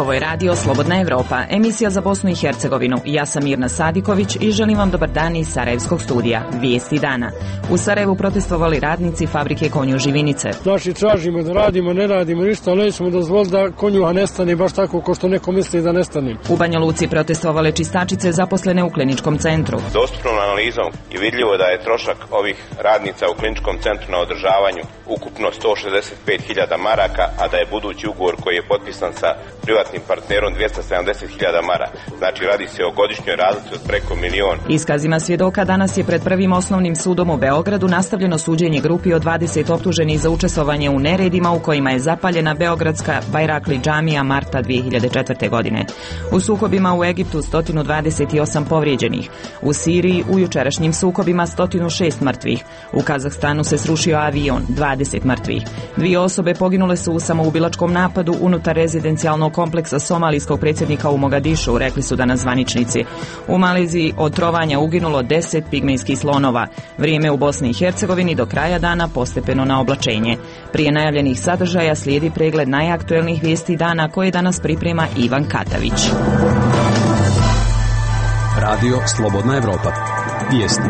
Ovo je radio Slobodna Evropa, emisija za Bosnu i Hercegovinu. Ja sam Mirna Sadiković i želim vam dobar dan iz Sarajevskog studija. Vijesti dana. U Sarajevu protestovali radnici fabrike konju Živinice. Znači tražimo da radimo, ne radimo ništa, ali nećemo dozvoliti da konjuha nestane baš tako kao što neko misli da nestane. U Banja Luci protestovale čistačice zaposlene u kliničkom centru. Dostupnom analizom je vidljivo da je trošak ovih radnica u kliničkom centru na održavanju ukupno 165.000 maraka, a da je budući ugovor koji je potpisan sa privatnim partnerom 270.000 maraka. Znači radi se o godišnjoj razlici od preko 1 milion. Iskazima svjedoka danas je pred Prvim osnovnim sudom u Beogradu nastavljeno suđenje grupi od 20 optuženih za učestvovanje u neredima u kojima je zapaljena beogradska Bajrakli džamija marta 2004. godine. U sukobima u Egiptu 128 povrijeđenih. U Siriji u jučerašnjim sukobima 106 mrtvih. U Kazahstanu se srušio avion, 20 mrtvih. 2 osobe poginule su u samoubilačkom napadu unutar rezidencijalnog kompleksa somalijskog predsjednika u Mogadišu, rekli su danas zvaničnici. U Maleziji od trovanja uginulo 10 pigmejskih slonova. Vrijeme u Bosni i Hercegovini do kraja dana postepeno na oblačenje. Prije najavljenih sadržaja slijedi pregled najaktuelnijih vijesti dana koje danas priprema Ivan Katavić. Radio Slobodna Evropa. Vijesti.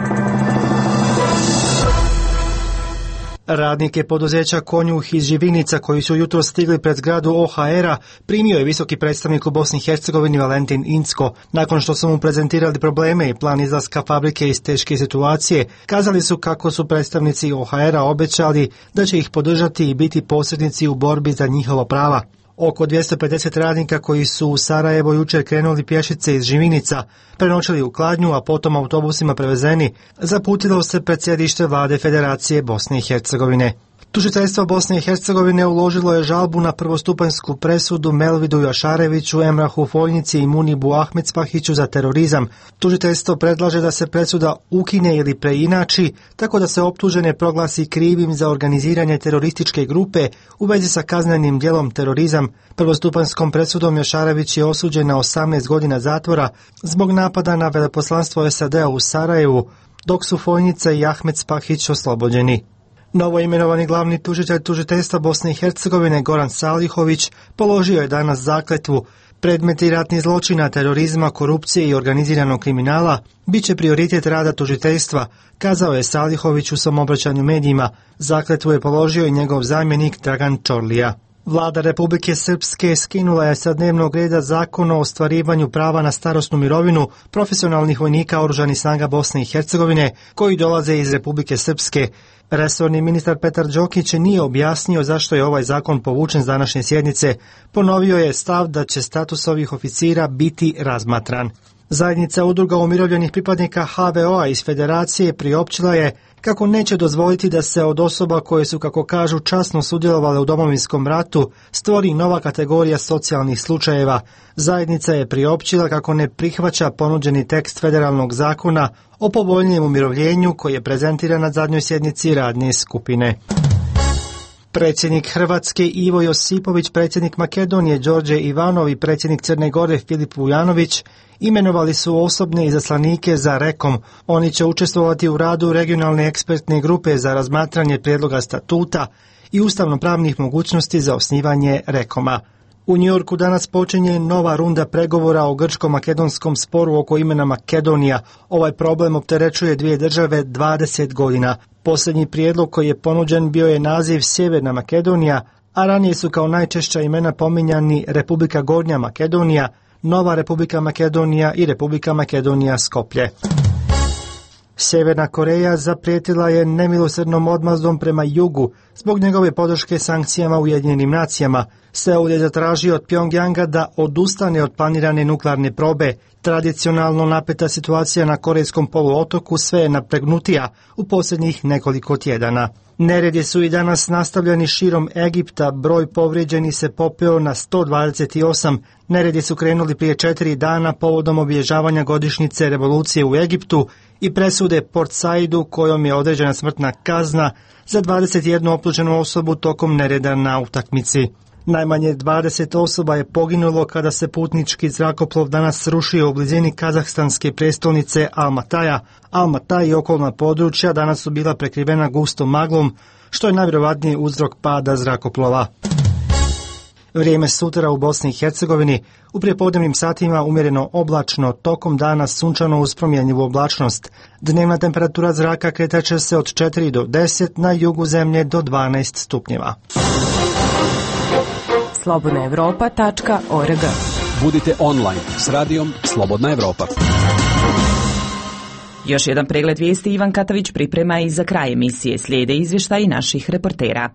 Radnike poduzeća Konjuh iz Živinica koji su jutro stigli pred zgradu OHR-a primio je visoki predstavnik u Bosni i Hercegovini Valentin Incko. Nakon što su mu prezentirali probleme i plan izlaska fabrike iz teške situacije, kazali su kako su predstavnici OHR-a obećali da će ih podržati i biti posrednici u borbi za njihova prava. Oko 250 radnika koji su u Sarajevo jučer krenuli pješice iz Živinica, prenoćili u Kladnju, a potom autobusima prevezeni, zaputilo se pred sjedište vlade Federacije Bosne i Hercegovine. Tužiteljstvo Bosne i Hercegovine uložilo je žalbu na prvostupanjsku presudu Melvidu Jašareviću, Emrahu Foljnici i Munibu Ahmedspahiću za terorizam. Tužiteljstvo predlaže da se presuda ukine ili preinači, tako da se optužene proglasi krivim za organiziranje terorističke grupe u vezi sa kaznenim djelom terorizam. Prvostupanjskom presudom Jašarević je osuđen na 18 godina zatvora zbog napada na veleposlanstvo SAD-a u Sarajevu, dok su Foljnica i Ahmedspahić oslobođeni. Novo imenovani glavni tužitelj tužiteljstva Bosne i Hercegovine Goran Salihović položio je danas zakletvu. Predmeti ratnih zločina, terorizma, korupcije i organiziranog kriminala bit će prioritet rada tužiteljstva, kazao je Salihović u svom obraćanju medijima. Zakletvu je položio i njegov zamjenik Dragan Čorlija. Vlada Republike Srpske skinula je sa dnevnog reda Zakon o ostvarivanju prava na starosnu mirovinu profesionalnih vojnika Oružanih snaga Bosne i Hercegovine koji dolaze iz Republike Srpske. Resorni ministar Petar Đokić nije objasnio zašto je ovaj zakon povučen s današnje sjednice. Ponovio je stav da će status ovih oficira biti razmatran. Zajednica udruga umirovljenih pripadnika HVO-a iz Federacije priopćila je kako neće dozvoliti da se od osoba koje su, kako kažu, časno sudjelovale u Domovinskom ratu stvori nova kategorija socijalnih slučajeva. Zajednica je priopćila kako ne prihvaća ponuđeni tekst federalnog zakona o povoljnijem umirovljenju koji je prezentiran na zadnjoj sjednici radne skupine. Predsjednik Hrvatske Ivo Josipović, predsjednik Makedonije Đorđe Ivanov i predsjednik Crne Gore Filip Vujanović imenovali su osobne izaslanike za REKOM. Oni će učestvovati u radu regionalne ekspertne grupe za razmatranje prijedloga statuta i ustavno-pravnih mogućnosti za osnivanje REKOM-a. U Njujorku danas počinje nova runda pregovora o grčko-makedonskom sporu oko imena Makedonija. Ovaj problem opterećuje dvije države 20 godina. Posljednji prijedlog koji je ponuđen bio je naziv Sjeverna Makedonija, a ranije su kao najčešća imena pominjani Republika Gornja Makedonija, Nova Republika Makedonija i Republika Makedonija Skoplje. Sjeverna Koreja zaprijetila je nemilosrdnom odmazdom prema jugu zbog njegove podrške sankcijama Ujedinjenim nacijama. Seul je zatražio od Pjongjanga da odustane od planirane nuklearne probe. Tradicionalno napeta situacija na Korejskom poluotoku sve je napregnutija u posljednjih nekoliko tjedana. Neredi su i danas nastavljeni širom Egipta, broj povrijeđenih se popeo na 128. Neredi su krenuli prije 4 dana povodom obilježavanja godišnjice revolucije u Egiptu i presude Port Saidu kojom je određena smrtna kazna za 21 optuženu osobu tokom nereda na utakmici. Najmanje 20 osoba je poginulo kada se putnički zrakoplov danas srušio u blizini kazahstanske prijestolnice Almataja. Almataj i okolna područja danas su bila prekrivena gustom maglom, što je najvjerovatniji uzrok pada zrakoplova. Vrijeme sutra u Bosni i Hercegovini, u prijepodnevnim satima umjereno oblačno, tokom dana sunčano uz promjenjivu oblačnost. Dnevna temperatura zraka kretat će se od 4 do 10, na jugu zemlje do 12 stupnjeva. slobodnaevropa.org. Budite online s radijom Slobodna Evropa. Još jedan pregled vijesti Ivan Katavić priprema i za kraj emisije slijede izvještaji naših reportera.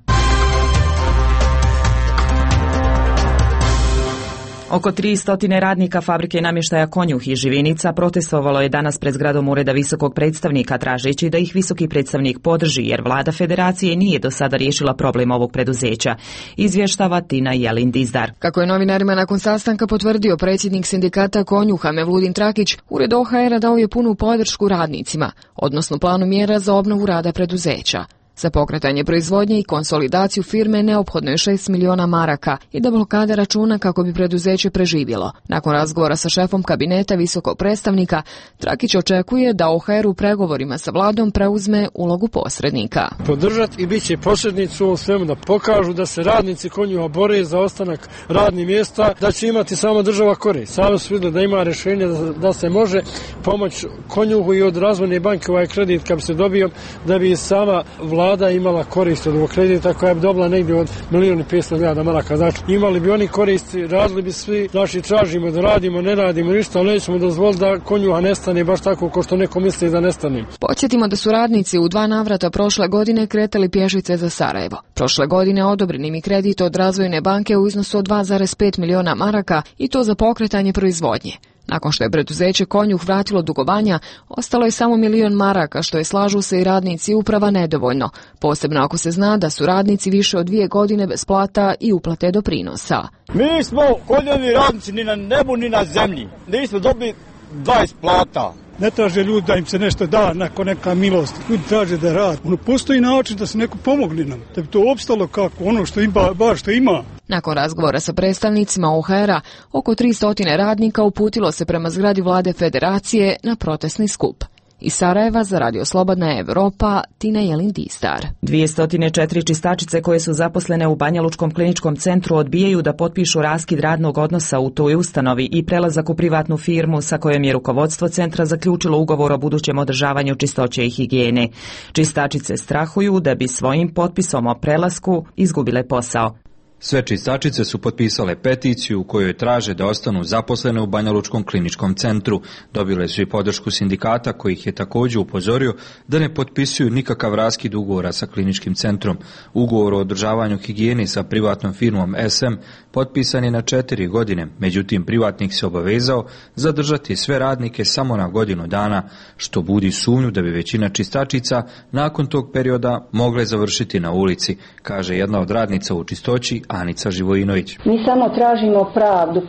Oko 300 radnika fabrike namještaja Konjuh i Živinica protestovalo je danas pred zgradom Ureda visokog predstavnika tražeći da ih visoki predstavnik podrži jer vlada federacije nije do sada riješila problem ovog preduzeća. Izvještava Tina Jelin Dizdar. Kako je novinarima nakon sastanka potvrdio predsjednik sindikata Konjuha Mevludin Trakić, Ured OHR-a dao je punu podršku radnicima, odnosno planu mjera za obnovu rada preduzeća. Za pokretanje proizvodnje i konsolidaciju firme neophodno je 6 miliona maraka i da blokada računa kako bi preduzeće preživjelo. Nakon razgovora sa šefom kabineta visokog predstavnika, Trakić očekuje da OHR u pregovorima sa vladom preuzme ulogu posrednika. Podržati i bit će posrednici u ovom svemu da pokažu da se radnici Konjuha bore za ostanak radnih mjesta, da će imati samo država korist. Samo su vidjeli da ima rješenje da se može pomoći Konjuhu i od razvojne banke ovaj kredit kad bi se dobio, da bi sama vlada imala korist od ovog kredita koja bi dobila negdje od 1.500.000 maraka. Znači, imali bi oni koristi, radili bi svi, znači tražimo da radimo, ne radimo ništa, ali nećemo dozvoliti da Konjuha nestane baš tako kao što neko misli da nestane. Podsjetimo da su radnici u 2 navrata prošle godine kretali pješice za Sarajevo. Prošle godine odobren im je kredit od razvojne banke u iznosu od 2,5 miliona maraka i to za pokretanje proizvodnje. Nakon što je preduzeće Konjuh vratilo dugovanja, ostalo je samo 1 milion maraka, što je, slažu se i radnici i uprava, nedovoljno, posebno ako se zna da su radnici više od 2 godine bez plata i uplate doprinosa. Mi smo Konjuhovi radnici ni na nebu ni na zemlji, nismo dobili 20 plata. Ne traže ljudi da im se nešto da nakon neka milost. Ljudi traže da rad. Postoji način da se neko pomogne nam, da bi to opstalo kako ono što ima, baš što ima. Nakon razgovora sa predstavnicima OHR-a, oko 300 radnika uputilo se prema zgradi vlade federacije na protestni skup. Iz Sarajeva za Radio Slobodna Evropa, Tina Jelin Dizdar. 204 čistačice koje su zaposlene u Banjalučkom kliničkom centru odbijaju da potpišu raskid radnog odnosa u toj ustanovi i prelazak u privatnu firmu sa kojom je rukovodstvo centra zaključilo ugovor o budućem održavanju čistoće i higijene. Čistačice strahuju da bi svojim potpisom o prelasku izgubile posao. Sve čistačice su potpisale peticiju u kojoj traže da ostanu zaposlene u Banjalučkom kliničkom centru. Dobile su i podršku sindikata koji ih je također upozorio da ne potpisuju nikakav raskid ugovora sa kliničkim centrom. Ugovor o održavanju higijene sa privatnom firmom SM potpisan je na 4 godine, međutim privatnik se obavezao zadržati sve radnike samo na godinu dana, što budi sumnju da bi većina čistačica nakon tog perioda mogle završiti na ulici, kaže jedna od radnica u čistoći, Anica Živojinović. Mi samo tražimo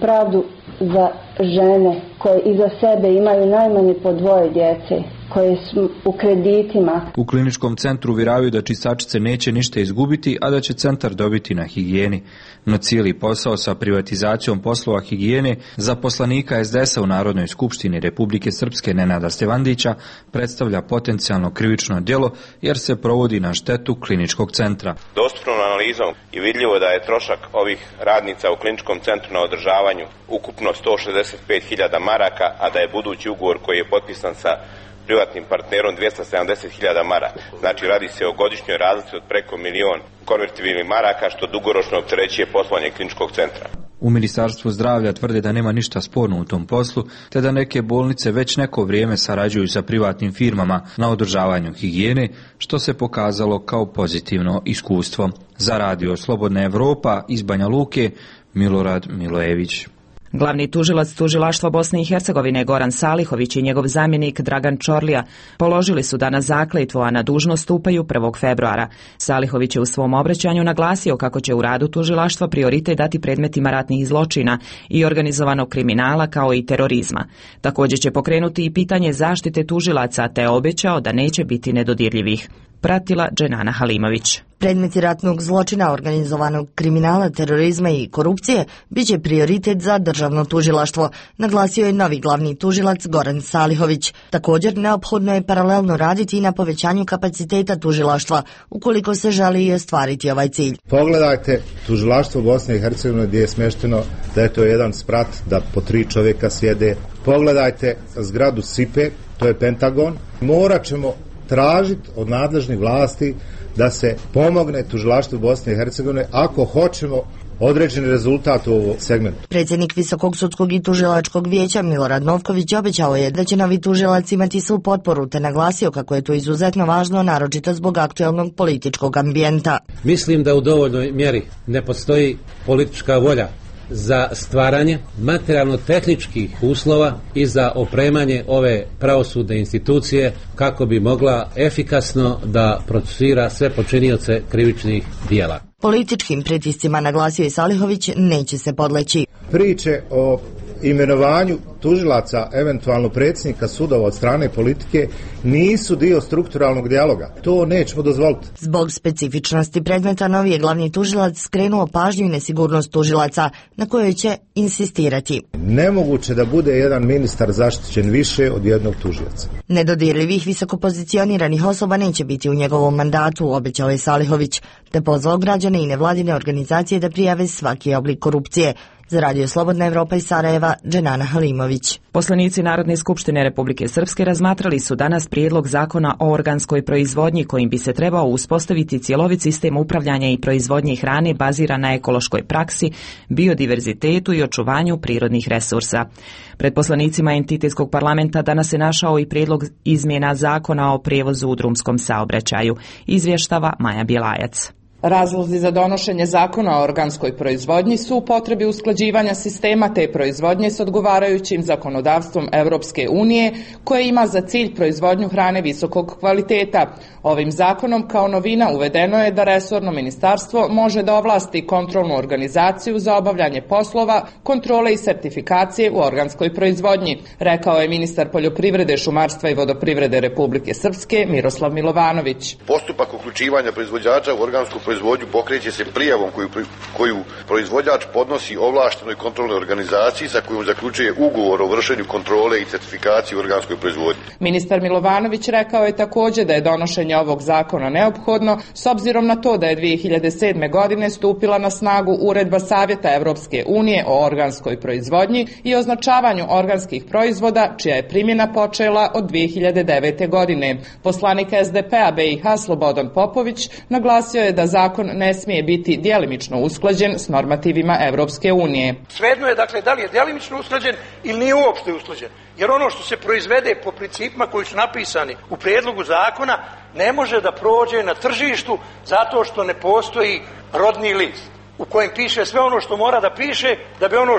pravdu za žene koje iza sebe imaju najmanje po 2 djece, koje su u kreditima. U kliničkom centru uvjeravaju da čistačice neće ništa izgubiti, a da će centar dobiti na higijeni. No cijeli posao sa privatizacijom poslova higijene zaposlenika SDS-a u Narodnoj skupštini Republike Srpske Nenada Stevandića predstavlja potencijalno krivično djelo jer se provodi na štetu kliničkog centra. Dostupnom analizom je vidljivo da je trošak ovih radnica u kliničkom centru na održavanju ukupno 165.000 maraka, a da je budući ugovor koji je potpisan sa privatnim partnerom 270.000 maraka. Znači radi se o godišnjoj razlici od preko 1 milion konvertibilnih maraka, što dugoročno opterećuje poslovanje kliničkog centra. U Ministarstvu zdravlja tvrde da nema ništa sporno u tom poslu, te da neke bolnice već neko vrijeme sarađuju sa privatnim firmama na održavanju higijene, što se pokazalo kao pozitivno iskustvo. Za Radio Slobodna Evropa iz Banja Luke, Milorad Milojević. Glavni tužilac tužilaštva Bosne i Hercegovine Goran Salihović i njegov zamjenik Dragan Čorlija položili su danas zakletvu, a na dužnost stupaju 1. februara. Salihović je u svom obraćanju naglasio kako će u radu tužilaštva prioritet dati predmetima ratnih zločina i organizovanog kriminala kao i terorizma. Također će pokrenuti i pitanje zaštite tužilaca, te obećao da neće biti nedodirljivih. Pratila Dženana Halimović. Predmeti ratnog zločina, organizovanog kriminala, terorizma i korupcije biće prioritet za državno tužilaštvo, naglasio je novi glavni tužilac Goran Salihović. Također, neophodno je paralelno raditi i na povećanju kapaciteta tužilaštva, ukoliko se želi i ostvariti ovaj cilj. Pogledajte tužilaštvo Bosne i Hercegovine gdje je smješteno da je to jedan sprat, da po 3 čovjeka sjede. Pogledajte zgradu SIPE, to je Pentagon. Morat ćemo tražiti od nadležnih vlasti da se pomogne tužilaštvu Bosne i Hercegovine ako hoćemo određeni rezultat u ovom segmentu. Predsjednik Visokog sudskog i tužilačkog vijeća Milorad Novković obećao je da će novi tužilac imati svu potporu, te naglasio kako je to izuzetno važno, naročito zbog aktualnog političkog ambijenta. Mislim da u dovoljnoj mjeri ne postoji politička volja za stvaranje materijalno-tehničkih uslova i za opremanje ove pravosudne institucije kako bi mogla efikasno da procesuira sve počinioce krivičnih dijela. Političkim pritiscima, naglasio je Salihović, neće se podleći. Priče o imenovanju tužilaca, eventualno predsjednika sudova od strane politike, nisu dio strukturalnog dijaloga. To nećemo dozvoliti. Zbog specifičnosti predmeta, novi je glavni tužilac skrenuo pažnju i nesigurnost tužilaca, na kojoj će insistirati. Nemoguće da bude jedan ministar zaštićen više od jednog tužioca. Nedodirljivih visokopozicioniranih osoba neće biti u njegovom mandatu, obećao je Salihović, te pozvao građane i nevladine organizacije da prijave svaki oblik korupcije. Za Radio Slobodna Evropa iz Sarajeva, Dženana Halimović. Poslanici Narodne skupštine Republike Srpske razmatrali su danas prijedlog zakona o organskoj proizvodnji kojim bi se trebao uspostaviti cjelovit sistem upravljanja i proizvodnje hrane baziran na ekološkoj praksi, biodiverzitetu i očuvanju prirodnih resursa. Pred poslanicima entitetskog parlamenta danas se našao i prijedlog izmjena zakona o prijevozu u drumskom saobraćaju. Izvještava Maja Bjelajac. Razlozi za donošenje zakona o organskoj proizvodnji su u potrebi usklađivanja sistema te proizvodnje s odgovarajućim zakonodavstvom Europske unije koje ima za cilj proizvodnju hrane visokog kvaliteta. Ovim zakonom kao novina uvedeno je da resorno ministarstvo može da ovlasti kontrolnu organizaciju za obavljanje poslova, kontrole i sertifikacije u organskoj proizvodnji, rekao je ministar poljoprivrede, šumarstva i vodoprivrede Republike Srpske Miroslav Milovanović. Postupak uključivanja proizvođača u organsku proizvodnju pokreće se prijavom koju proizvođač podnosi ovlaštenoj kontrolnoj organizaciji sa kojom zaključuje ugovor o vršenju kontrole i certifikacije u organskoj proizvodnji. Ministar Milovanović rekao je također da je donošenje ovog zakona neophodno s obzirom na to da je 2007. godine stupila na snagu Uredba Savjeta Europske unije o organskoj proizvodnji i označavanju organskih proizvoda, čija je primjena počela od 2009. godine. Poslanik SDP-a BiH Slobodan Popović naglasio je da zakon ne smije biti djelimično usklađen s normativima Europske unije. Svejedno je dakle da li je djelimično usklađen ili nije uopšte usklađen. Jer ono što se proizvede po principima koji su napisani u prijedlogu zakona ne može da prođe na tržištu zato što ne postoji rodni list u kojem piše sve ono što mora da piše da bi ono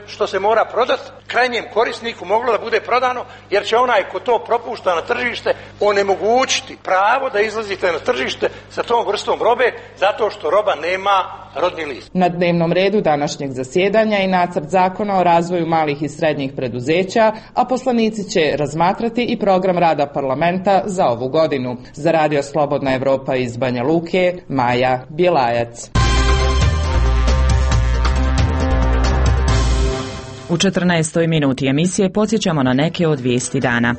što se mora prodati krajnjem korisniku moglo da bude prodano, jer će onaj ko to propušta na tržište onemogućiti pravo da izlazite na tržište sa tom vrstom robe zato što roba nema rodni list. Na dnevnom redu današnjeg zasjedanja je nacrt zakona o razvoju malih i srednjih preduzeća, a poslanici će razmatrati i program rada parlamenta za ovu godinu. Za Radio Slobodna Evropa iz Banja Luke, Maja Bjelajac. U 14. minuti emisije podsjećamo na neke od vijesti dana.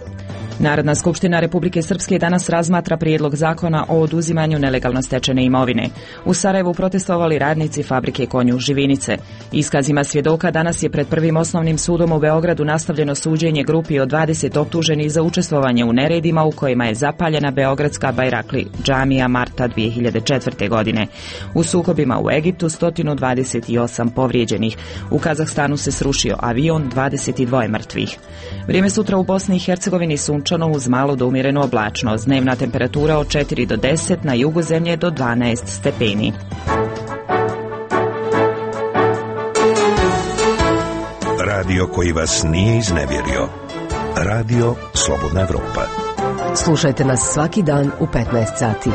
Narodna skupština Republike Srpske danas razmatra prijedlog zakona o oduzimanju nelegalno stečene imovine. U Sarajevu protestovali radnici fabrike Konjuh Živinice. Iskazima svjedoka danas je pred Prvim osnovnim sudom u Beogradu nastavljeno suđenje grupi od 20 optuženih za učestvovanje u neredima u kojima je zapaljena beogradska Bajrakli džamija marta 2004. godine. U sukobima u Egiptu 128 povrijeđenih. U Kazahstanu se srušio avion, 22 mrtvih. Vrijeme sutra u Bosni i Hercegovini sunčano uz malo do umjerenu oblačnost. Dnevna temperatura od 4 do 10, na jugu zemlje do 12 stepeni. Radio koji vas nije iznevjerio. Radio Slobodna Evropa. Slušajte nas svaki dan u 15 sati.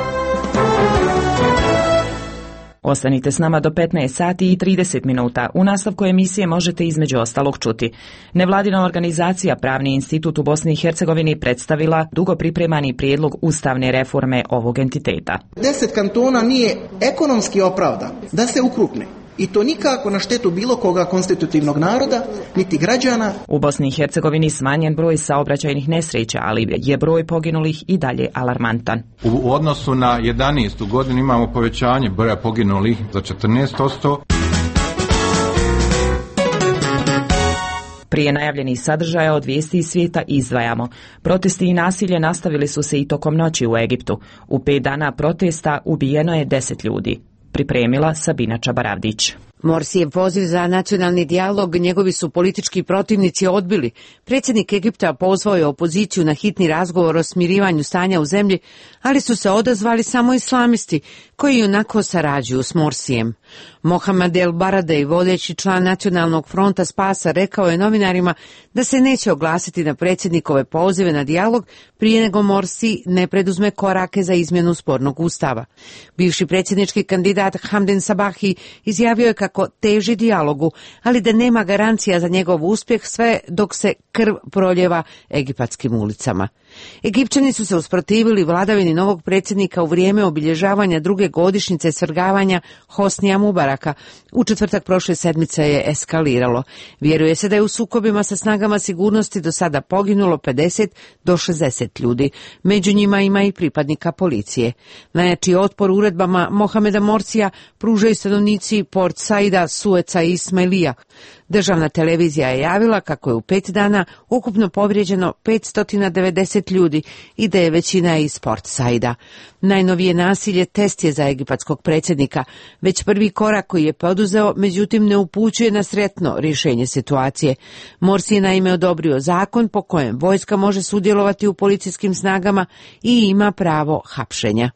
Ostanite s nama do 15 sati i 30 minuta. U nastavku emisije možete između ostalog čuti. Nevladina organizacija Pravni institut u Bosni i Hercegovini predstavila dugo pripremani prijedlog ustavne reforme ovog entiteta. 10 kantona nije ekonomski opravdan da se ukrupne. I to nikako na štetu bilo koga konstitutivnog naroda, niti građana. U Bosni i Hercegovini smanjen broj saobraćajnih nesreća, ali je broj poginulih i dalje alarmantan. U odnosu na 11. godinu imamo povećanje broja poginulih za 14%. Prije najavljenih sadržaja od vijesti iz svijeta izdvajamo. Protesti i nasilje nastavili su se i tokom noći u Egiptu. U 5 dana protesta ubijeno je 10 ljudi. Pripremila Sabina Čabaravdić. Morsijev poziv za nacionalni dijalog njegovi su politički protivnici odbili. Predsjednik Egipta pozvao je opoziciju na hitni razgovor o smirivanju stanja u zemlji, ali su se odazvali samo islamisti, koji onako sarađuju s Morsijem. Mohamed El Baradej, vodeći član Nacionalnog fronta spasa, rekao je novinarima da se neće oglasiti na predsjednikove pozive na dijalog prije nego Morsi ne preduzme korake za izmjenu spornog ustava. Bivši predsjednički kandidat Hamden Sabahi izjavio je kako teži dijalogu, ali da nema garancija za njegov uspjeh sve dok se krv proljeva egipatskim ulicama. Egipćani su se usprotivili vladavini novog predsjednika u vrijeme obilježavanja druge godišnjice svrgavanja Hosnija Mubaraka. U četvrtak prošle sedmice je eskaliralo. Vjeruje se da je u sukobima sa snagama sigurnosti do sada poginulo 50 do 60 ljudi. Među njima ima i pripadnika policije. Najjači otpor uredbama Mohameda Morsija pružaju stanovnici Port Saida, Sueca i Ismailija. Državna televizija je javila kako je u 5 dana ukupno povrijeđeno 590 ljudi i da je većina iz Port Saida. Najnovije nasilje test je za egipatskog predsjednika. Već prvi korak koji je poduzeo, međutim, ne upućuje na sretno rješenje situacije. Morsi je naime odobrio zakon po kojem vojska može sudjelovati u policijskim snagama i ima pravo hapšenja.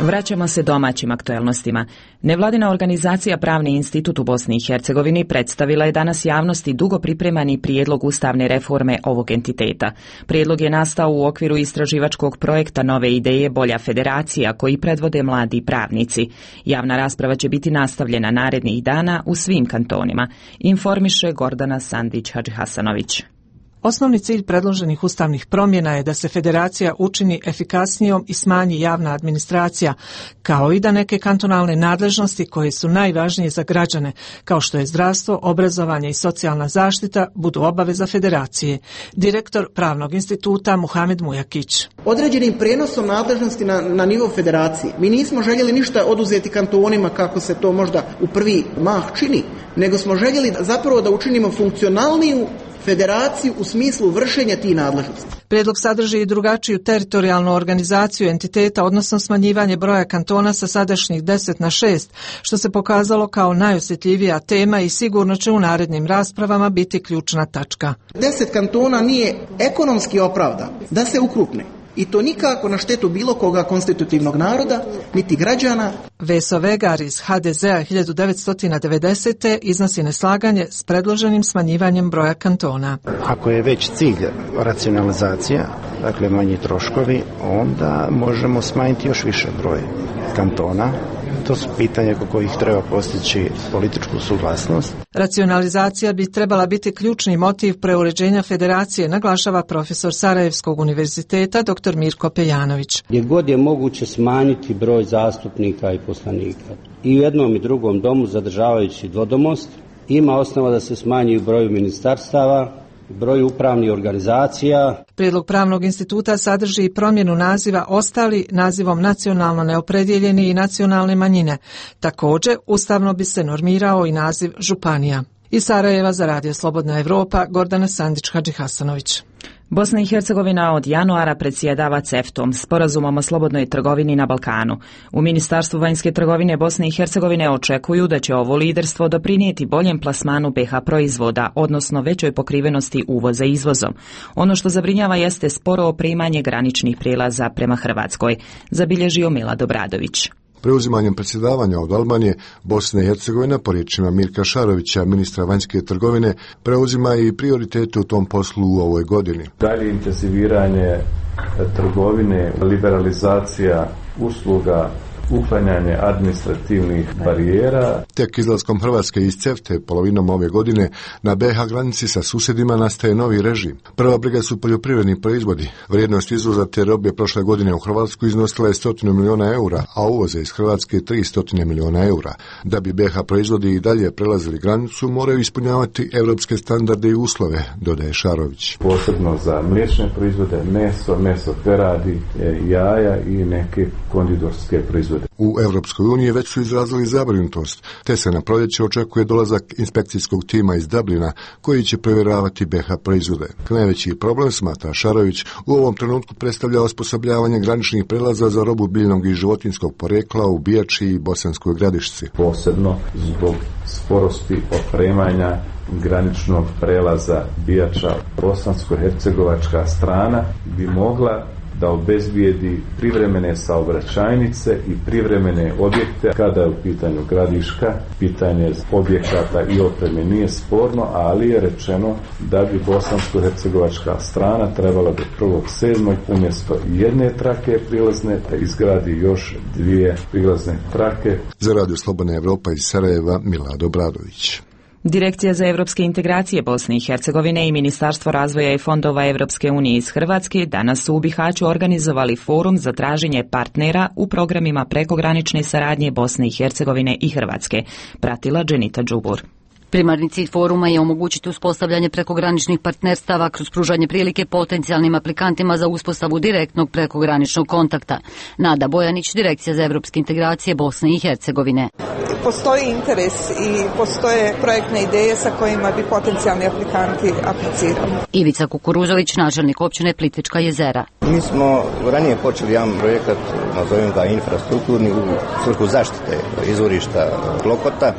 Vraćamo se domaćim aktuelnostima. Nevladina organizacija Pravni institut u Bosni i Hercegovini predstavila je danas javnosti dugo pripremani prijedlog ustavne reforme ovog entiteta. Prijedlog je nastao u okviru istraživačkog projekta Nove ideje Bolja federacija koji predvode mladi pravnici. Javna rasprava će biti nastavljena narednih dana u svim kantonima, informiše Gordana Sandić-Hadžihasanović. Osnovni cilj predloženih ustavnih promjena je da se federacija učini efikasnijom i smanji javna administracija, kao i da neke kantonalne nadležnosti koje su najvažnije za građane, kao što je zdravstvo, obrazovanje i socijalna zaštita, budu obaveza federacije. Direktor Pravnog instituta Muhamed Mujakić. Određenim prenosom nadležnosti na nivo federacije mi nismo željeli ništa oduzeti kantonima kako se to možda u prvi mah čini, nego smo željeli zapravo da učinimo funkcionalniju federaciju u smislu vršenja tih nadležnosti. Prijedlog sadrži i drugačiju teritorijalnu organizaciju entiteta, odnosno smanjivanje broja kantona sa sadašnjih 10 na 6, što se pokazalo kao najosjetljivija tema i sigurno će u narednim raspravama biti ključna tačka. 10 kantona nije ekonomski opravdan da se ukrupne. I to nikako na štetu bilo koga konstitutivnog naroda, niti građana. Veso Vegar iz HDZ-a 1990. iznosi neslaganje s predloženim smanjivanjem broja kantona. Ako je već cilj racionalizacija, dakle manji troškovi, onda možemo smanjiti još više broj kantona. To su pitanja oko kojih treba postići političku suglasnost. Racionalizacija bi trebala biti ključni motiv preuređenja federacije, naglašava profesor Sarajevskog univerziteta dr. Mirko Pejanović. Gdje god je moguće smanjiti broj zastupnika i poslanika. I u jednom i drugom domu, zadržavajući dvodomost, ima osnova da se smanji broj ministarstava, broj upravnih organizacija. Prijedlog Pravnog instituta sadrži i promjenu naziva ostali nazivom nacionalno neopredjeljeni i nacionalne manjine. Također, ustavno bi se normirao i naziv županija. Iz Sarajeva za Radio Slobodna Evropa, Gordana Sandić-Hadžihasanović. Bosna i Hercegovina od januara predsjedava CEFTA-om, sporazumom o slobodnoj trgovini na Balkanu. U Ministarstvu vanjske trgovine Bosne i Hercegovine očekuju da će ovo liderstvo doprinijeti boljem plasmanu BiH proizvoda, odnosno većoj pokrivenosti uvoza izvozom. Ono što zabrinjava jeste sporo opremanje graničnih prijelaza prema Hrvatskoj, zabilježio Milad Obradović. Preuzimanjem predsjedavanja od Albanije, Bosna i Hercegovina, po riječima Mirka Šarovića, ministra vanjske trgovine, preuzima i prioritete u tom poslu u ovoj godini. Dalje intenziviranje trgovine, liberalizacija usluga, uklanjanje administrativnih barijera. Tek izlaskom Hrvatske iz CEFTA polovinom ove godine na BiH granici sa susjedima nastaje novi režim. Prva briga su poljoprivredni proizvodi. Vrijednost izvoza te robe prošle godine u Hrvatsku iznosila je 100 milijuna eura, a uvoze iz Hrvatske 300 milijuna eura. Da bi BiH proizvodi i dalje prelazili granicu, moraju ispunjavati evropske standarde i uslove, dodaje Šarović. Posebno za mliječne proizvode, meso peradi, jaja i neke konditorske proizvode. U Europskoj uniji već su izrazili zabrinutost, te se na proljeće očekuje dolazak inspekcijskog tima iz Dublina koji će provjeravati BiH proizvode. Najveći problem, smatra Šarović, u ovom trenutku predstavlja osposobljavanje graničnih prelaza za robu biljnog i životinjskog porekla u Bijači i Bosanskoj Gradišci. Posebno zbog sporosti opremanja graničnog prelaza Bijača, bosansko-hercegovačka strana bi mogla da obezbijedi privremene saobraćajnice i privremene objekte kada je u pitanju Gradiška. Pitanje objekata i opreme nije sporno, ali je rečeno da bi bosansko-hercegovačka strana trebala do 1.7. umjesto jedne trake prilazne da izgradi još 2 prilazne trake. Za Radio Slobodna Evropa iz Sarajeva, Milad Obradović. Direkcija za evropske integracije Bosne i Hercegovine i Ministarstvo razvoja i fondova Evropske unije iz Hrvatske danas su u Bihaću organizovali forum za traženje partnera u programima prekogranične saradnje Bosne i Hercegovine i Hrvatske. Pratila Dženita Đubur. Primarni cilj foruma je omogućiti uspostavljanje prekograničnih partnerstava kroz pružanje prilike potencijalnim aplikantima za uspostavu direktnog prekograničnog kontakta. Nada Bojanić, Direkcija za evropske integracije Bosne i Hercegovine. Postoji interes i postoje projektne ideje sa kojima bi potencijalni aplikanti aplicirali. Ivica Kukuruzović, načelnik općine Plitvička jezera. Mi smo ranije počeli jedan projekat, nazovem ga infrastrukturni, u svrhu zaštite izvorišta Klokota,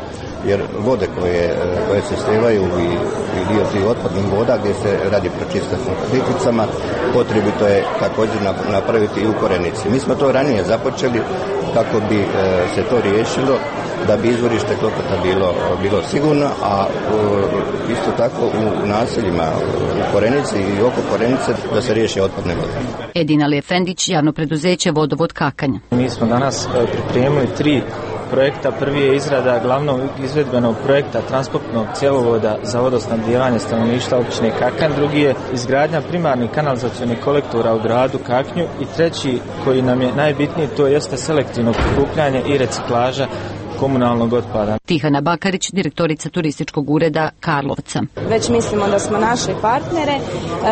jer vode koje se slivaju i dio tih otpadnih voda gdje se radi pročista sa Plitvicama, potrebito je također napraviti i u Korenici. Mi smo to ranije započeli kako bi se to riješilo, da bi izvorište Klokota bilo sigurno, a isto tako u naseljima u Korenici i oko Korenice da se riješi otpadne vode. Edin Ali Efendić, javno preduzeće Vodovod Kakanj. Mi smo danas pripremili 3 projekta. Prvi je izrada glavnog izvedbenog projekta transportnog cjevovoda za vodosnabdijevanje stanovništva općine Kakanj, drugi je izgradnja primarnih kanalizacionih kolektora u gradu Kaknju i treći, koji nam je najbitniji, to jeste selektivno prikupljanje i reciklaža komunalnog otpada. Tihana Bakarić, direktorica turističkog ureda Karlovca. Već mislimo da smo našli partnere.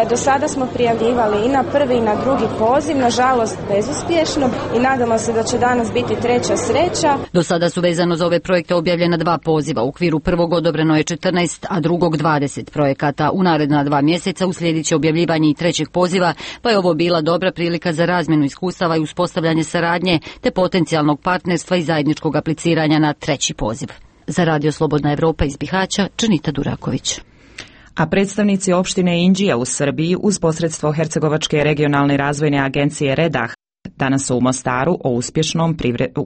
Do sada smo prijavljivali i na prvi i na drugi poziv, nažalost bezuspješno, i nadamo se da će danas biti treća sreća. Do sada su vezano za ove projekte objavljena 2 poziva. U okviru prvog odobreno je 14, a drugog 20 projekata. U naredna 2 mjeseca uslijedit će objavljivanje i trećeg poziva, pa je ovo bila dobra prilika za razmjenu iskustava i uspostavljanje saradnje te potencijalnog partnerstva i zajedničkog apliciranja na treći poziv. Za Radio Slobodna Evropa iz Bihaća, Dženita Duraković. A predstavnici opštine Inđija u Srbiji uz posredstvo Hercegovačke regionalne razvojne agencije Redah danas su u Mostaru o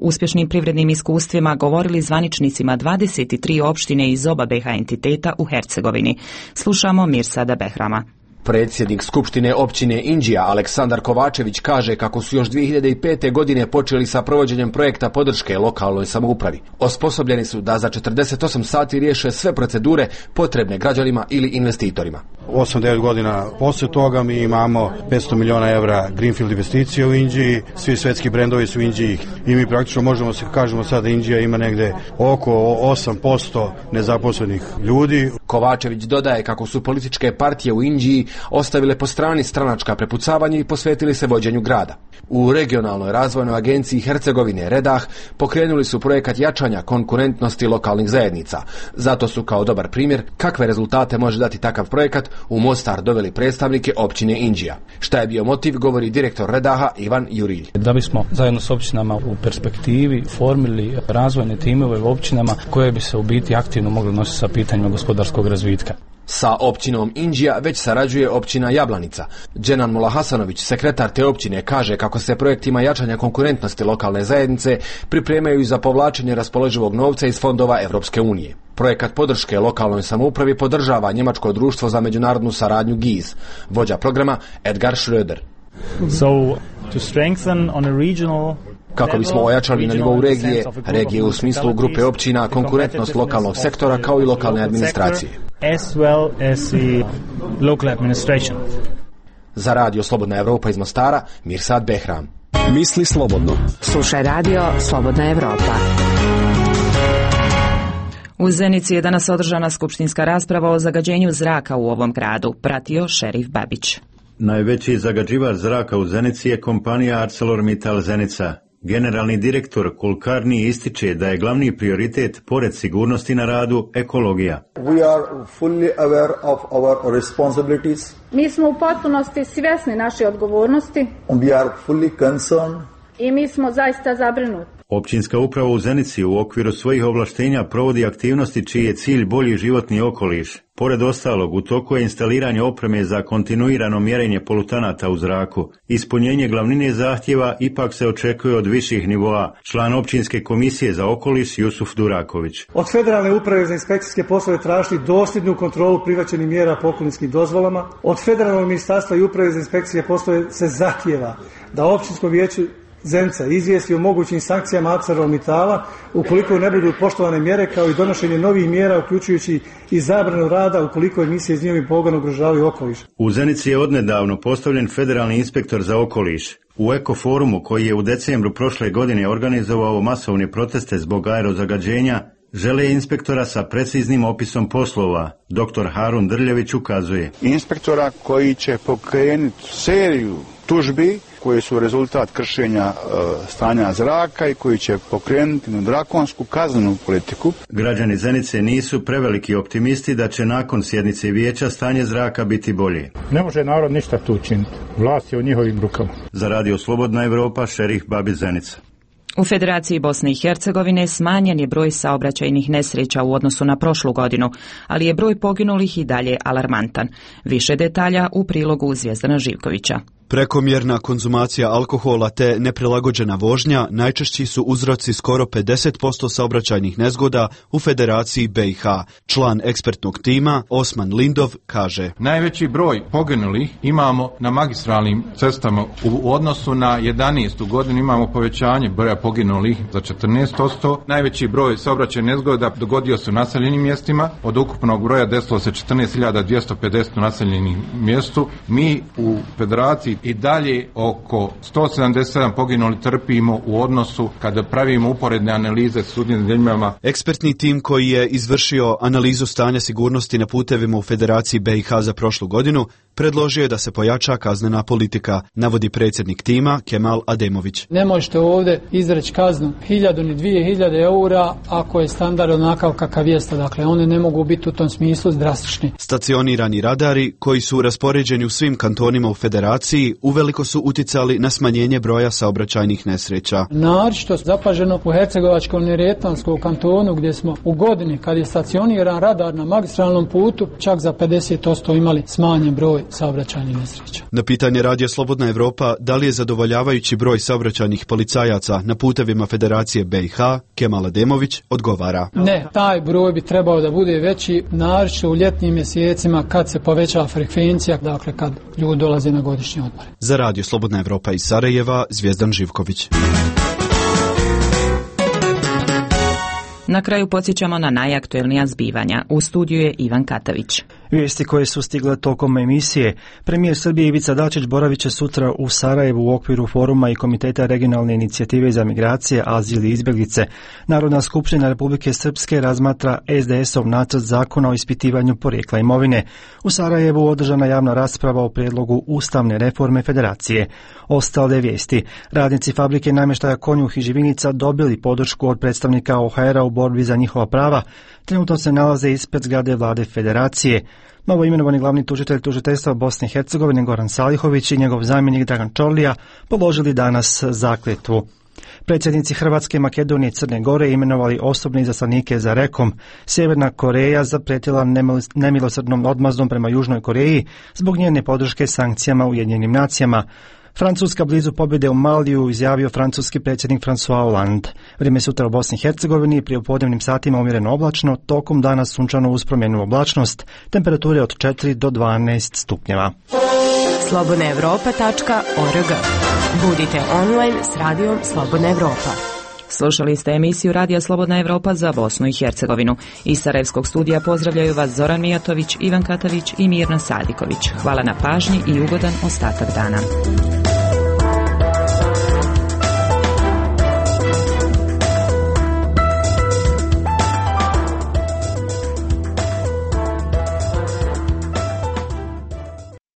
uspješnim privrednim iskustvima govorili zvaničnicima 23 opštine iz oba BiH entiteta u Hercegovini. Slušamo Mirsada Behrama. Predsjednik Skupštine općine Inđija Aleksandar Kovačević kaže kako su još 2005. godine počeli sa provođenjem projekta podrške lokalnoj samoupravi. Osposobljeni su da za 48 sati riješe sve procedure potrebne građanima ili investitorima. 8-9 godina poslije toga mi imamo 500 milijuna evra greenfield investicije u Inđiji, svi svetski brendovi su u Inđiji i mi praktično možemo se kažemo sad da Inđija ima negde oko 8% nezaposlenih ljudi. Kovačević dodaje kako su političke partije u Inđiji ostavile po strani stranačka prepucavanja i posvetili se vođenju grada. U regionalnoj razvojnoj agenciji Hercegovine Redah pokrenuli su projekat jačanja konkurentnosti lokalnih zajednica. Zato su kao dobar primjer kakve rezultate može dati takav projekat u Mostar doveli predstavnike općine Inđija. Šta je bio motiv, govori direktor Redaha Ivan Jurilj. Da bismo zajedno s općinama u perspektivi formili razvojne timove u općinama koje bi se u biti aktivno mogli nositi sa pitanjima gospodarskog razvitka. Sa općinom Inđija već sarađuje općina Jablanica. Dženan Mula Hasanović, sekretar te općine, kaže kako se projektima jačanja konkurentnosti lokalne zajednice pripremaju i za povlačenje raspoloživog novca iz fondova Evropske unije. Projekat podrške lokalnoj samoupravi podržava Njemačko društvo za međunarodnu saradnju GIZ. Vođa programa Edgar Schröder. So, to strengthen on a regional kako bismo ojačali na nivou regije u smislu grupe općina, konkurentnost lokalnog sektora kao i lokalne administracije. Za Radio Slobodna Evropa iz Mostara, Mirsad Behram. Misli slobodno. Slušaj Radio Slobodna Evropa. U Zenici je danas održana skupštinska rasprava o zagađenju zraka u ovom gradu, pratio Šerif Babić. Najveći zagađivač zraka u Zenici je kompanija ArcelorMittal Zenica. Generalni direktor Kulkarni ističe da je glavni prioritet, pored sigurnosti na radu, ekologija. Mi smo u potpunosti svjesni naše odgovornosti i mi smo zaista zabrinuti. Općinska uprava u Zenici u okviru svojih ovlaštenja provodi aktivnosti čiji je cilj bolji životni okoliš. Pored ostalog, u toku je instaliranje opreme za kontinuirano mjerenje polutanata u zraku. Ispunjenje glavnine zahtjeva ipak se očekuje od viših nivoa. Član općinske komisije za okoliš Jusuf Duraković. Od Federalne uprave za inspekcijske poslove tražiti dosljednu kontrolu prihvaćenih mjera po okolišnim dozvolama. Od Federalnog ministarstva i uprave za inspekcijske poslove se zahtjeva da općinskom vijeću Zenica izvijesti o mogućim sankcijama ArcelorMittala ukoliko ne budu poštovane mjere, kao i donošenje novih mjera uključujući i zabranu rada ukoliko emisije iz njihovih pogona ugrožavaju okoliš. U Zenici je odnedavno postavljen federalni inspektor za okoliš. U Ekoforumu, koji je u decembru prošle godine organizovao masovne proteste zbog aerozagađenja, žele inspektora sa preciznim opisom poslova. Dr. Harun Drljević ukazuje. Inspektora koji će pokrenuti seriju tužbi koje su rezultat kršenja stanja zraka i koji će pokrenuti drakonsku kaznenu politiku. Građani Zenice nisu preveliki optimisti da će nakon sjednice vijeća stanje zraka biti bolje. Ne može narod ništa tu učiniti. Vlast je u njihovim rukama. Za Radio Slobodna Evropa, Šerif Babić, Zenica. U Federaciji Bosne i Hercegovine smanjen je broj saobraćajnih nesreća u odnosu na prošlu godinu, ali je broj poginulih i dalje alarmantan. Više detalja u prilogu Zvijezdana Živkovića. Prekomjerna konzumacija alkohola te neprilagođena vožnja najčešći su uzroci skoro 50% saobraćajnih nezgoda u Federaciji BiH. Član ekspertnog tima Osman Lindov kaže: Najveći broj poginulih imamo na magistralnim cestama. U odnosu na 11. godinu imamo povećanje broja poginulih za 14%. Najveći broj saobraćajnih nezgoda dogodio se u naseljenim mjestima. Od ukupnog broja desilo se 14.250 u naseljenim mjestu. Mi u Federaciji i dalje oko 177 poginuli trpimo u odnosu kada pravimo uporedne analize s sudnim zemljama. Ekspertni tim koji je izvršio analizu stanja sigurnosti na putevima u Federaciji BiH za prošlu godinu predložio je da se pojača kaznena politika, navodi predsjednik tima Kemal Ademović. Ne možete ovdje izreći kaznu 1000 ni 2000 eura ako je standard onakav kakav jeste. Dakle, one ne mogu biti u tom smislu drastični. Stacionirani radari koji su raspoređeni u svim kantonima u Federaciji uveliko su uticali na smanjenje broja saobraćajnih nesreća. Naročito zapaženo u Hercegovačko-Neretvanskom kantonu gdje smo u godini kad je stacioniran radar na magistralnom putu čak za 50% imali smanjen broj saobraćajnih nesreća. Na pitanje Radija Slobodna Evropa da li je zadovoljavajući broj saobraćajnih policajaca na putevima Federacije BiH, Kemal Ademović odgovara: Ne, taj broj bi trebao da bude veći, naročito u ljetnim mjesecima kad se poveća frekvencija, dakle kad ljudi dolaze na godišnje odmore. Za Radio Slobodna Evropa iz Sarajeva, Zvijezdan Živković. Na kraju podsjećamo na najaktuelnija zbivanja. U studiju je Ivan Katavić. Vijesti koje su stigle tokom emisije. Premijer Srbije Ivica Dačić boravit će sutra u Sarajevu u okviru foruma i Komiteta regionalne inicijative za migracije, azil i izbjeglice. Narodna skupština Republike Srpske razmatra SDS-ov nacrt zakona o ispitivanju porijekla imovine. U Sarajevu održana javna rasprava o prijedlogu ustavne reforme federacije. Ostale vijesti. Radnici fabrike namještaja Konjuh i Živinica dobili podršku od predstavnika OHR-a u borbi za njihova prava. Trenutno se nalaze ispred zgrade vlade federacije. Novo imenovani glavni tužitelj tužiteljstva Bosne i Hercegovine Goran Salihović i njegov zamjenik Dragan Čorlija položili danas zakletvu. Predsjednici Hrvatske, Makedonije i Crne Gore imenovali osobne izaslanike za Rekom. Sjeverna Koreja zapretila nemilosrdnom odmazdom prema Južnoj Koreji zbog njene podrške sankcijama Ujedinjenim nacijama. Francuska blizu pobjede u Maliju, izjavio francuski predsjednik François Hollande. Vrijeme sutra u Bosni i Hercegovini prije u podnevnim satima umjereno oblačno, tokom dana sunčano uz promjenu oblačnost, temperature od 4 do 12 stupnjeva. slobodnaevropa.org. Budite online s radijom Slobodna Evropa. Slušali ste emisiju Radija Slobodna Evropa za Bosnu i Hercegovinu. Iz Sarajevskog studija pozdravljaju vas Zoran Mijatović, Ivan Katavić i Mirna Sadiković. Hvala na pažnji i ugodan ostatak dana.